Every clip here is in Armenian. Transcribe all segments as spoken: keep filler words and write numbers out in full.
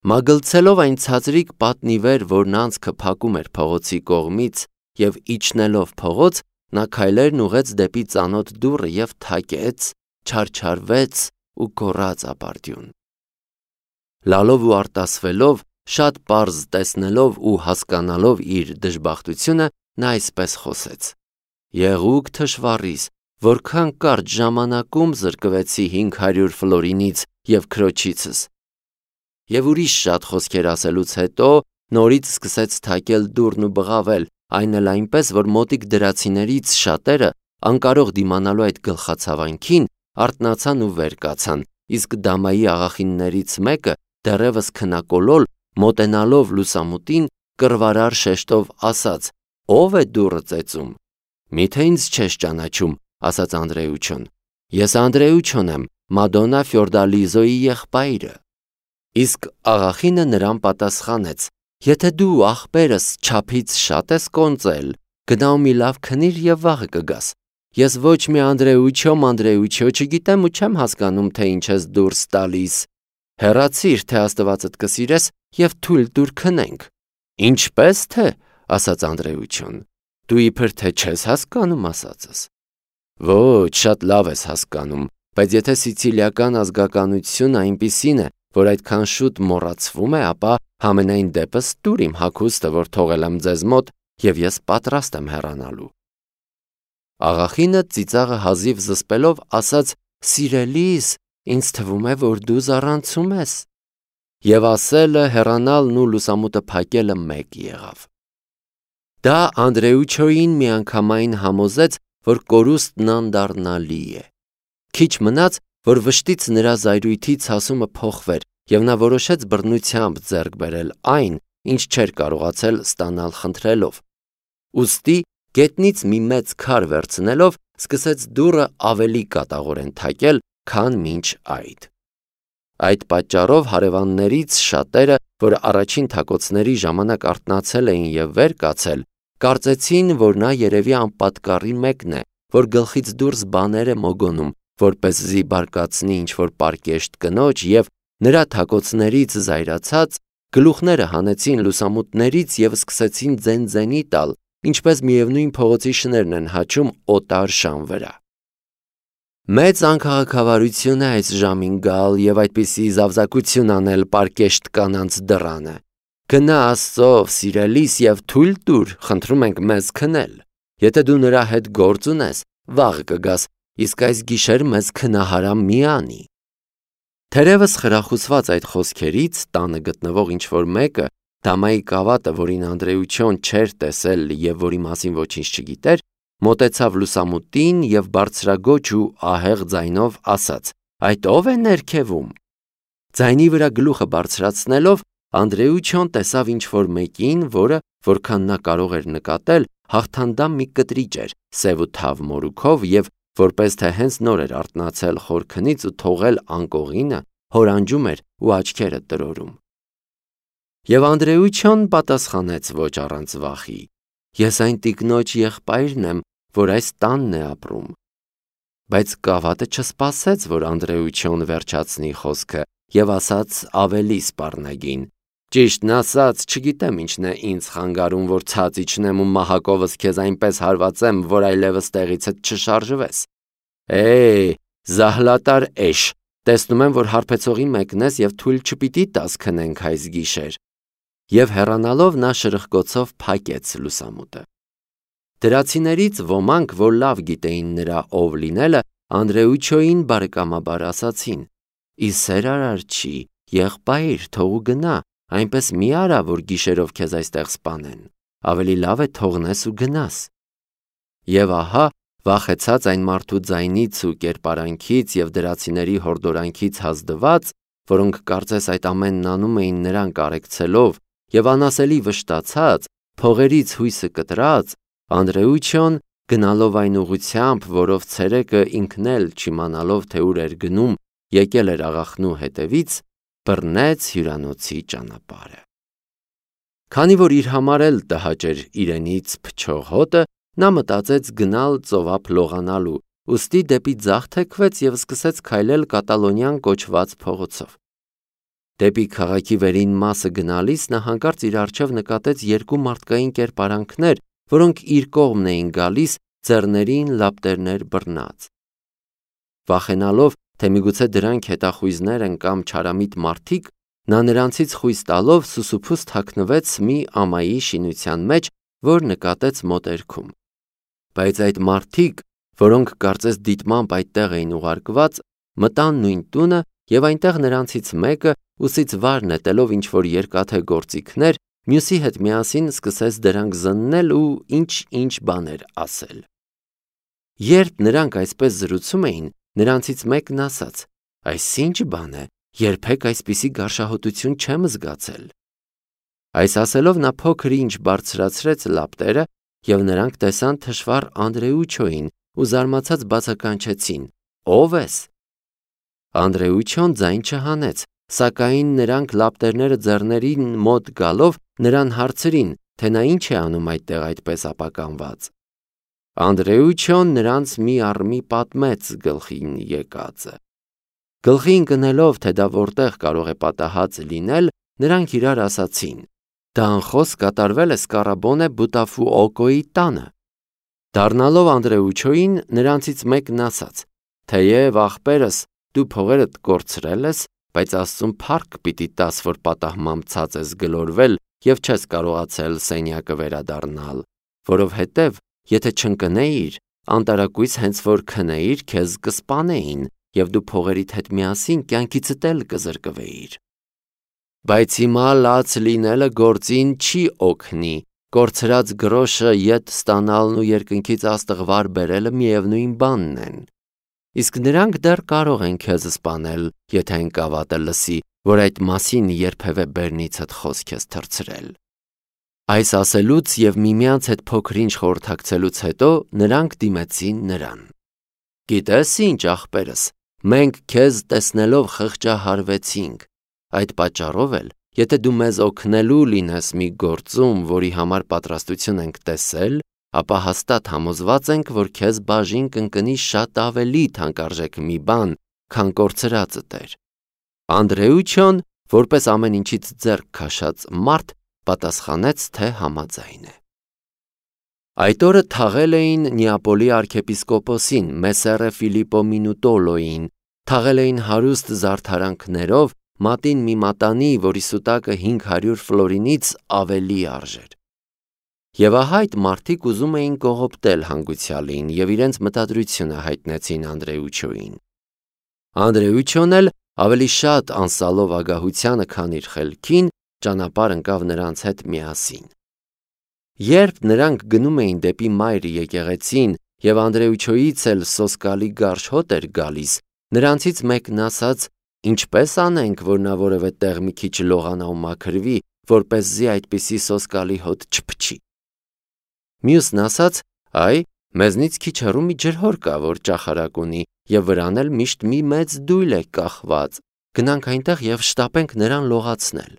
Մագլցելով այն ցածրիկ պատնի վեր, որն անցքը փակում էր փողոցի կողմից, եւ իջնելով փողոց, նա քայլերն ուղեց դեպի ծանոթ դուռը եւ թակեց, չարչարվեց ու գոռաց ապարդյուն։ Լալով ու արտասվելով, շատ պարզ տեսնելով ու հասկանալով իր դժբախտությունը, նա այսպես խոսեց. «Եղուկ թշվառիս, որքան կարճ ժամանակում զրկվեցի հինգ հարյուր ֆլորինից եւ քրոջիցս»։ Եվ ուրիշ շատ խոսքեր ասելուց հետո նորից սկսեց թակել դուռն ու բղավել, այն էլ այնպես, որ մոտիկ դրացիներից շատերը, անկարող դիմանալու այդ գլխացավանքին, արթնացան ու վեր կացան, իսկ դամայի աղախիններից մեկը դեռևս քնակոլոլ, մոտենալով լուսամուտին, կռվարար շեշտով ասաց. «Ո՞վ է դուռը ծեծում»։ «Միթե ինձ չես ճանաչում», ասաց Անդրեուչոն։ «Ես Անդրեուչոն եմ, Մադոննա Ֆյորդալիզոյի եղբայրը»։ Իսկ աղախինը նրան պատասխանեց. «Եթե դու ախպերս չափից շատ ես կոնծել, գնա ու մի լավ քնիր եւ վաղը կգաս։ Ես ոչ մի Անդրեուչո, Անդրեուչո չգիտեմ ու չեմ հասկանում, թե ինչ ես դուրս տալիս։ Հեռացիր, թե Աստվածդ կսիրես եւ թույլ տուր քնենք»։ «Ինչպես թե», ասաց Անդրեուչոն, «դու իբր թե չես հասկանում ասածս»։ «Ոչ, շատ լավ ես հասկանում, բայց եթե սիցիլիական ազգականությունը այնպիսին է, որ այդքան շուտ մոռացվում է, ապա համենայն դեպս տուր իմ հագուստը, որ թողել եմ ձեզ մոտ, եւ ես պատրաստ եմ հեռանալու»։ Աղախինը ծիծաղը հազիվ զսպելով ասաց. «Սիրելիս, ինձ թվում է, որ դու զառանցում ես»։ Եվ ասելը, հեռանալն ու լուսամուտը փակելը մեկ եղավ։ Դա Անդրեուչոյին միանգամայն համոզեց, որ կորուստն անդառնալի է։ Քիչ մնաց, որ վշտից նրա զայրույթի ցասումը փոխվեր, եւ նա որոշեց բռնությամբ ձեռք բերել այն, ինչ չէր կարողացել ստանալ խնդրելով։ Ուստի գետնից մի մեծ քար վերցնելով, սկսեց դուռը ավելի կատաղորեն թակել, քան մինչ այդ։ Այդ պատճառով հարևաններից շատերը, որ առաջին թակոցների ժամանակ արթնացել էին եւ վեր կացել, կարծեցին, որ նա երևի անպատկառի մեկն է, որ գլխից դուրս բաներ է մոգոնում, որպեսզի բարկացնի ինչ-որ պարկեշտ կնոջ, եւ նրա թակոցներից զայրացած գլուխները հանեցին լուսամուտներից եւ սկսեցին ձեն-ձենի տալ, ինչպես միևնույն փողոցի շներն են հաչում օտար շան վրա։ Մեծ անքաղաքավարություն է այս ժամին գալ եւ այդպիսի զավզակություն անել պարկեշտ կանանց դռանը։ Գնա Աստծով, սիրելիս, եւ թույլ տուր, խնդրում ենք մեզ քնել։ Եթե դու նրա հետ գործ ունես, վաղ կգաս, իսկ այս գիշեր մեզ քնահարամ մի անի։ Թերևս խրախուսված այդ խոսքերից, տանը գտնվող ինչ-որ մեկը, դամայի կավատը, որին Անդրեուչոն չէր տեսել եւ որի մասին ոչինչ չգիտեր, մոտեցավ լուսամուտին եւ բարձրագոչ ու ահեղ ձայնով ասաց. «Այդ ո՞վ է ներքևում»։ Ձայնի վրա գլուխը բարձրացնելով, Անդրեուչոն տեսավ ինչ-որ մեկին, որը, որքան նա կարող էր նկատել, հաղթանդամ մի կտրիճ էր, սև ու թավ մորուքով եւ որպես թե հենց նոր էր արթնացել խորքնից ու թողել անկողինը, հորանջում էր ու աչքերը տրորում։ Եվ Անդրեուչոն պատասխանեց ոչ առանց վախի. «Ես այն տիկնոջ եղբայրն եմ, որ այս տանն է ապրում»։ Բայց կավատը չսպասեց, որ Անդրեուչոն վերջացնի խոսքը եւ ասաց ավելի սպառնագին. «Ճիշտն ասած, չգիտեմ ինչն է ինձ խանգարում, որ ցած իջնեմ ու մահակովս քեզ այնպես հարվածեմ, որ այլևս տեղիցդ չշարժվես։ Է, զահլատար էշ, տեսնում եմ, որ հարբեցողի մեկն ես եւ թույլ չպիտի տաս քնենք այս գիշեր»։ Եվ հեռանալով նա շրխկոցով փակեց լուսամուտը։ Դրացիներից ոմանք, որ լավ գիտեին նրա ով լինելը, Անդրեուչոյին բարեկամաբար ասացին. «Ի սեր արար չի, եղբայր, թող ու գնա, այնպես մի արա, որ գիշերով քեզ այստեղ սպանեն, ավելի լավ է թողնես ու գնաս»։ Եվ ահա, վախեցած այն մարդու ձայնից ու կերպարանքից եւ դրացիների հորդորանքից հազդված, որոնք կարծես այդ ամենն անում էին նրան կարեկցելով, եւ անասելի վշտացած, փողերից հույսը կտրած, Անդրեուչոն, գնալով այն ուղղությամբ, որով ցերեկը ինքն էլ չիմանալով, թե ուր էր գնում, եկել էր աղախնու հետևից, բռնեց հյուրանոցի ճանապարհը։ Քանի որ իր համար էլ տհաճ էր իրենից փչող հոտը, նա մտածեց գնալ ծովափ լողանալու, ուստի դեպի ձախ թեքվեց եւ սկսեց քայլել կատալոնյան կոչված փողոցով։ Դեպի քաղաքի վերին մասը գնալիս նա հանկարծ իր առջև նկատեց երկու մարդկային կերպարանքներ, որոնք իր կողմն էին գալիս, ձեռներին լապտերներ բռնած։ Վախենալով, թե միգուցե դրանք հետախույզներ են կամ չարամիտ մարդիկ, նա նրանցից խույս տալով սուսուփուս թաքնվեց մի ամայի շինության մեջ, որ նկատեց մոտերքում։ Բայց այդ մարդիկ, որոնք կարծես դիտմամբ այդտեղ էին ուղարկված, մտան նույն տունը և այնտեղ նրանցից մեկը, ուսից վար նետելով ինչ-որ երկաթե գործիքներ, մյուսի հետ միասին սկսեց դրանք զննել ու ինչ-ինչ բաներ ասել։ Երբ նրանք այսպես զրուցում էին, նրանցից մեկն ասաց. «Այս ի՞նչ բան է, երբեք այսպիսի գարշահոտություն չեմ զգացել»։ Այս ասելով նա փոքր-ինչ բարձրացրեց լապտերը, և նրանք տեսան թշվառ Անդրեուչոյին ու զարմացած բացականչեցին. «Ո՞վ ես»։ Անդրեուչոն ձայն չհանեց, սակայն նրանք լապտերները ձեռներին մոտ գալով նրան հարցրին, թե նա ինչ է անում այդտեղ այդպես ապականված։ Անդրեուչոն նրանց մի առ մի պատմեց գլխին եկածը։ Գլխի ընկնելով, թե դա որտեղ կարող է պատահած լինել, նրանք իրար ասացին. «Դա անխոս կատարվել է Սկարաբոնե Բուտաֆուօկոյի տանը»։ Դառնալով Անդրեուչոյին, նրանցից մեկն ասաց. «Թեև ախպերս դու փողերդ կորցրել ես, բայց Աստծուն փառք պիտի տաս, որ պատահմամբ ցած ես գլորվել և չես կարողացել սենյակը վերադառնալ, որովհետև եթե չընկնեիր, անտարակույս հենց որ քնեիր, քեզ կսպանեին, և դու փողերիդ հետ միասին կյանքիցդ էլ կզրկվեիր։ Բայց հիմա լաց լինելը գործին չի օգնի, կորցրած գրոշը ետ ստանալն ու երկնքից աստղվար բերելը միևնույն բանն են։ Իսկ նրանք դեռ կարող են քեզ սպանել, եթե այն կավատը լսի, որ այդ մասին երբևէ բերնիցդ խոսք ես թռցրել»։ Այս ասելուց և միմյանց հետ փոքր-ինչ խորհրդակցելուց հետո նրանք դիմեցին նրան։ «Գիտես ինչ, ախպերս, մենք քեզ տեսնելով խղճահարվեցինք, այդ պատճառով էլ, եթե դու մեզ օգնելու լինես մի գործում, որի համար պատրաստություն ենք տեսել, ապա հաստատ համոզված ենք, որ քեզ բաժին կընկնի շատ ավելի թանկարժեք մի բան, քան կորցրածդ էր»։ Անդրեուչոն, որպես ամեն ինչից ձեռք քաշած մարդ, պատասխանեց, թե համաձայն է։ Այդ օրը թաղել էին Նեապոլի արքեպիսկոպոսին Մեսսերը Ֆիլիպպո Մինուտոլոյին, թաղել էին հարուստ զարդարանքներով, մատին մի մատանի, որի սուտակը հինգ հարյուր ֆլորինից ավելի արժեր։ Եվ ահա այդ մարդիկ ուզում էին կողոպտել հանգուցյալին և իրենց մտադրությունը հայտնեցին Անդրեուչոյին։ Անդրեուչոն էլ ավելի շատ անսալով ագահությանը, քան իր խելքին, ճանապարհ ընկավ նրանց հետ միասին։ Երբ նրանք գնում էին դեպի մայր եկեղեցին և Անդրեուչոյից էլ սոսկալի գարշ հոտ էր գալիս, նրանցից մեկն ասաց. «Ինչպե՞ս անենք, որ նա որևէ տեղ մի քիչ լողանա ու մաքրվի, որպեսզի այդպիսի սոսկալի հոտ չփչի»։ Մյուսն ասաց. «Այ, մեզնից քիչ հեռու մի ջրհոր կա, որ ճախարակ ունի, և վրան էլ միշտ մի մեծ դույլ է կախված, գնանք այնտեղ և շտապենք նրան լողացնել»։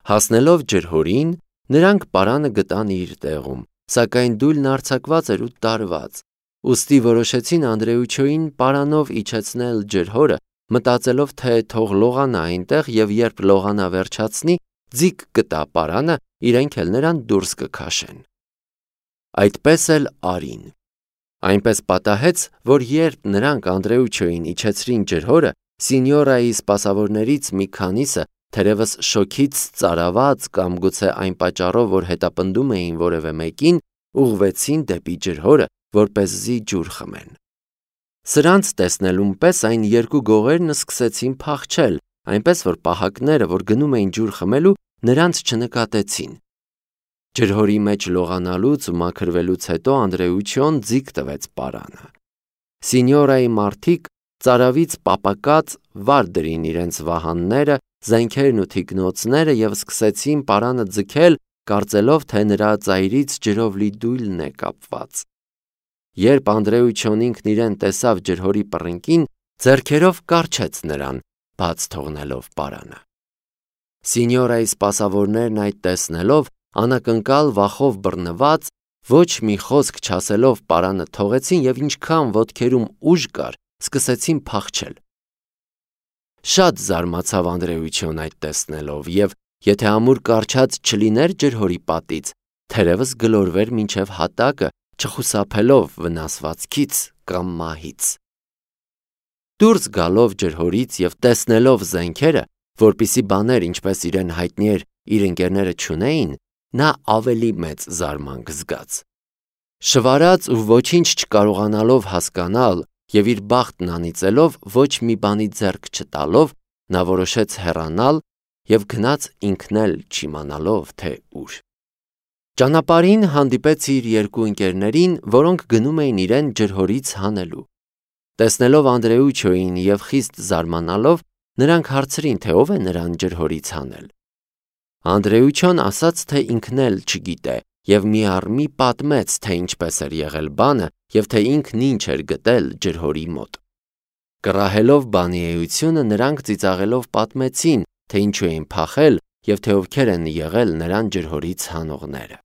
Հասնելով ջրհորին, նրանք պարանը գտան իր տեղում, սակայն դույլն արձակված էր ու տարված, ուստի որոշեցին Անդրեուչոյին պարանով իջեցնել ջրհորը, մտածելով, թե թող լողանա այնտեղ և երբ լողանա վերջացնի, ձիգ կտա պարանը, իրենք էլ նրան դուրս կքաշեն։ Այդպես էլ արին։ Այնպես պատահեց, որ երբ նրանք Անդրեուչոյին իջեցրին ջրհորը, Սինյորայի սպասավորներից մի քանիսը, թերևս շոգից ծարաված կամ գուցե այն պատճառով, որ հետապնդում էին որևէ մեկին, ուղղվեցին դեպի ջրհորը, որպեսզի ջուր խմեն։ Սրանց տեսնելուն պես այն երկու գողերն սկսեցին փախչել, այնպես որ պահակները, որ գնում էին ջուր խմելու, նրանց չնկատեցին։ Ջրհորի մեջ լողանալուց ու մաքրվելուց հետո Անդրեուչոն ձիգ տվեց պարանը։ Սինյորայի մարդիկ ծարավից պապակած վար դրին իրենց վահանները, զենքերն ու թիկնոցները և սկսեցին պարանը ձգել, կարծելով, թե նրա ծայրից ջրով լի դույլն է կապված։ Երբ Անդրեուչոն ինքն իրեն տեսավ ջրհորի պռնկին, ձեռքերով կառչեց նրան, բաց թողնելով պարանը։ Սինյորայի սպասավորներն այդ տեսնելով, անակնկալ վախով բռնված, ոչ մի խոսք չասելով պարանը թողեցին և ինչքան ոտքերում ուժ կար, սկսեցին փախչել։ Շատ զարմացավ Անդրեյություն այդ տեսնելով և եթե ամուր կառչած չլիներ ջրհորի պատից, թերևս գլորվեր մինչև հատակը, չխուսափելով վնասվածքից կամ մահից։ Դուրս գալով ջրհորից և տեսնելով զենքերը, որպիսի բաներ, ինչպես իրեն հայտնի էր, իր ընկերները չունեին, նա ավելի մեծ զարմանք զգաց։ Շվարած ու ոչինչ չկարողանալով հասկանալ և իր բախտն անիծելով, ոչ մի բանի ձեռք չտալով, նա որոշեց հեռանալ և գնաց ինքն էլ չիմանալով, թե ուր։ Ճանապարհին հանդիպեց իր երկու ընկերներին, որոնք գնում էին իրեն ջրհորից հանելու։ Տեսնելով Անդրեյուչոյին և խիստ զարմանալով, նրանք հարցրին, թե ով է նրան ջրհորից հանել։ Անդրեյուչոն ասաց, թե ինքն էլ չգիտե և մի առ մի պատմեց, թե ինչպես էր եղել բանը և թե ինքն ինչ էր գտել ջրհորի մոտ։ Կռահելով բանի էությունը, նրանք ծիծաղելով պատմեցին, թե ինչու էին փախել և թե ովքեր են եղել նրան ջրհորից հանողները։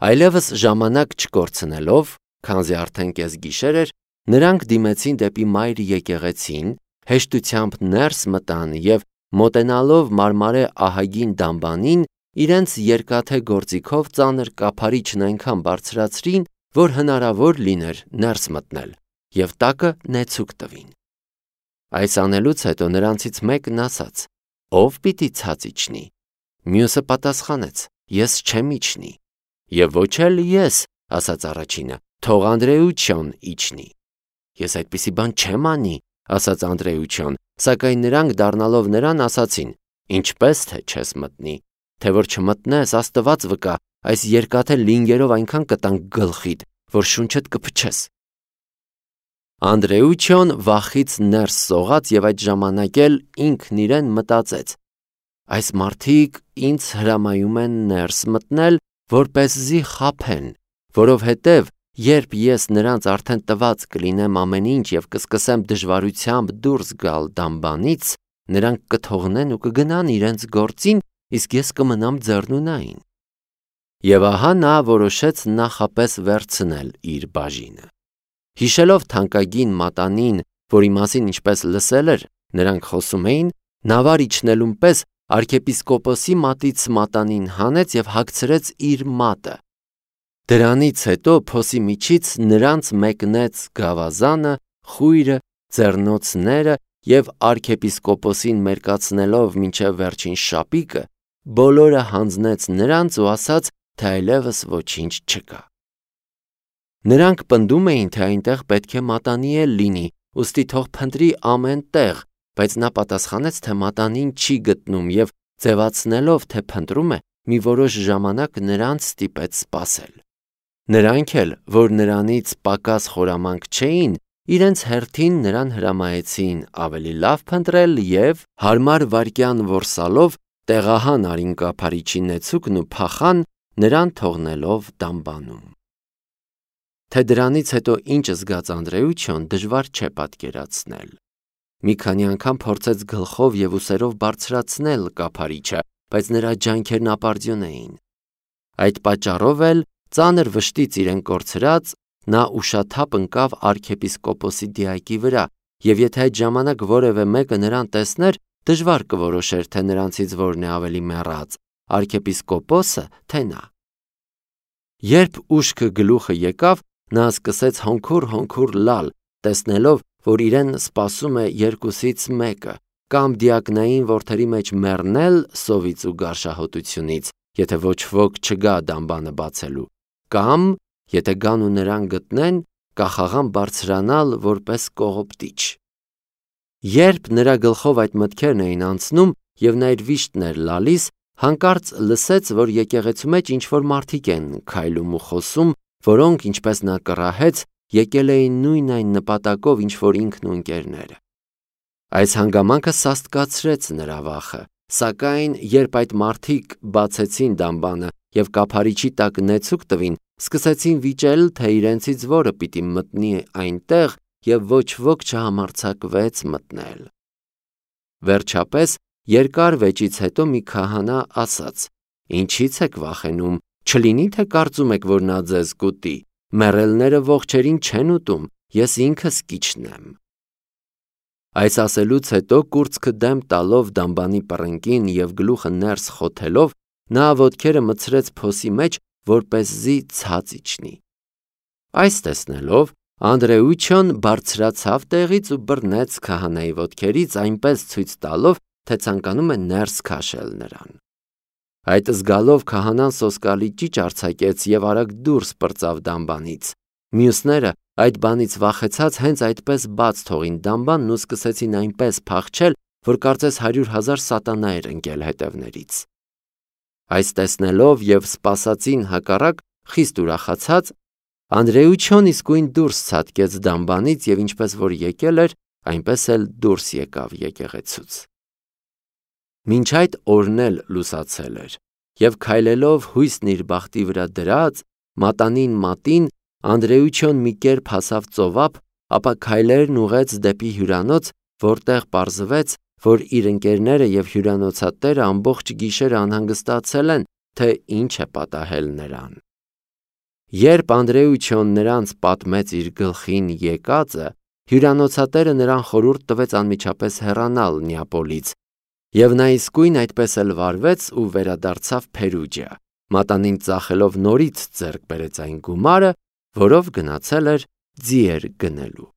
Այլևս ժամանակ չկորցնելով, քանզի արդեն կեսգիշեր էր, նրանք դիմեցին դեպի մայր եկեղեցին, հեշտությամբ ներս մտան և մոտենալով մարմարե ահագին դամբանին, իրենց երկաթե գործիքով ծանր կափարիչն այնքան բարձրացրին, որ հնարավոր լիներ ներս մտնել, և տակը նեցուկ տվին։ Այս անելուց հետո նրանցից մեկն ասաց. «Ո՞վ պիտի ցած իջնի»։ Մյուսը պատասխանեց. «Ես չեմ իջնի»։ «Եվ ոչ էլ ես», ասաց առաջինը, «թող Անդրեյուչոն իջնի»։ «Ես այդպիսի բան չեմ անի», ասաց Անդրեյուչոն, սակայն նրանք դառնալով նրան ասացին. «Ինչպես թե չես մտնի, թե որ չմտնես, Աստված վկա, այս երկաթե լինգերով այնքան կտանք գլխիդ, որ շունչդ կփչես»։ Անդրեյուչոն վախից ներս սողաց և այդ ժամանակ էլ ինքն իրեն մտածեց. «Այս մարդիկ ինձ հրամայում են ներս մտնել, որպեսզի խաբեն, որովհետև երբ ես նրանց արդեն տված կլինեմ ամեն ինչ և կսկսեմ դժվարությամբ դուրս գալ դամբանից, նրանք կթողնեն ու կգնան իրենց գործին, իսկ ես կմնամ ձեռնունայն»։ Եվ ահա նա որոշեց նախապես վերցնել իր բաժինը։ Հիշելով թանկագին մատանին, որի մասին ինչպես լսել էր, նրանք խոսում էին, նա վար իջնելուն պես arczepiskopos-ի մատից մատանին հանեց և հագցրեց իր մատը։ Դրանից հետո փոսի միջից նրանց մեկնեց գավազանը, խույրը, ձեռնոցները և arczepiskopos-ին մերկացնելով մինչև վերջին շապիկը, բոլորը հանձնեց նրանց ու ասաց, թե այլևս ոչինչ չկա։ Նրանք պնդում էին, թե այնտեղ պետք է մատանի էլ լինի, ուստի թող փնտրի ամեն տեղ, բայց նա պատասխանեց, թե մատանին չի գտնում և ձևացնելով, թե փնտրում է, մի որոշ ժամանակ նրանց ստիպեց սպասել։ Նրանք էլ, որ նրանից պակաս խորամանկ չէին, իրենց հերթին նրան հրամայեցին ավելի լավ փնտրել և, հարմար վայրկյան որսալով, տեղահան արին կափարիչի նեցուկն ու փախան, նրան թողնելով դամբանում։ Թե դրանից հետո ինչ զգաց Անդրեյուչոն, դժվար չէ պատկերացնել։ Մի քանի անգամ փորձեց գլխով և ուսերով բարձրացնել կափարիչը, բայց նրա ջանքերն ապարդյուն էին։ Այդ պատճառով էլ, ծանր վշտից իրեն կորցրած, նա ուշաթափ ընկավ arczepiskopos-ի դիակի վրա, և եթե այդ ժամանակ որևէ մեկը նրան տեսներ, դժվար կորոշեր, թե նրանցից որն է ավելի մեռած, arczepiskopos-ը, թե նա։ Երբ ուշքը գլուխը եկավ, նա սկսեց հոնքուր-հոնքուր լալ, տեսնելով, որ իրեն սպասում է երկուսից մեկը, կամ դիակնային որդերի մեջ մեռնել սովից ու գարշահոտությունից, եթե ոչ ոք չգա դամբանը բացելու, կամ, եթե գան ու նրան գտնեն, կախաղան բարձրանալ որպես կողոպտիչ։ Երբ նրա գլխով այդ մտքերն էին անցնում և նա իր վիշտն էր լալիս, հանկարծ լսեց, որ եկեղեցու մեջ ինչ-որ մարդիկ են քայլում ու խոսում, որոնք, ինչպես նա կռահեց, եկել էին նույն այն նպատակով, ինչ որ ինքն ու ընկերները։ Այս հանգամանքը սաստկացրեց նրա վախը, սակայն երբ այդ մարդիկ բացեցին դամբանը և կափարիչի տակ նեցուկ տվին, սկսեցին վիճել, թե իրենցից որը պիտի մտնի այնտեղ և ոչ ոք չհամարձակվեց մտնել։ Վերջապես, երկար վեճից հետո մի քահանա ասաց. «Ինչի՞ց եք վախենում, չլինի թե կարծում եք, որ նա ձեզ կուտի, մեռելները ողջերին չեն ուտում, ես ինքս կիջնեմ»։ Այս ասելուց հետո կուրծքը դեմ տալով դամբանի պռնկին և գլուխը ներս խոթելով, նա ոտքերը մտցրեց փոսի մեջ, որպեսզի ցած իջնի։ Այս տեսնելով, Անդրեուչոն բարձրացավ տեղից ու բռնեց քահանայի ոտքերից, այնպես ցույց տալով, թե ցանկանում է ներս քաշել նրան։ Այդ զգալով քահանան սոսկալի ճիչ արձակեց և արագ դուրս պրծավ դամբանից։ Մյուսները այդ բանից վախեցած հենց այդպես բաց թողին դամբանն ու սկսեցին այնպես փախչել, որ կարծես հարյուր հազար սատանա էր ընկել հետևներից։ Այս տեսնելով և սպասածին հակառակ խիստ ուրախացած, Անդրեուչոն իսկույն դուրս ցատկեց դամբանից և ինչպես որ եկել էր, այնպես էլ դուրս եկավ եկեղեցուց։ Մինչ այդ օրն էլ լուսացել էր, և քայլելով հույսն իր բախտի վրա դրած, մատանին մատին, Անդրեուչոն մի կերպ հասավ ծովափ, ապա քայլերն ուղղեց դեպի հյուրանոց, որտեղ պարզվեց, որ իր ընկերները և հյուրանոցատերը ամբողջ գիշերը անհանգստացել են, թե ինչ է պատահել նրան։ Երբ Անդրեուչոն նրանց պատմեց իր գլխին եկածը, հյուրանոցատերը նրան խորհուրդ տվեց անմիջապես հեռանալ Նեապոլից, և նա իսկույն այդպես էլ վարվեց ու վերադարձավ Փերուջիա, մատանին ծախելով նորից ձեռք բերեց այն գումարը, որով գնացել էր ձիեր գնելու։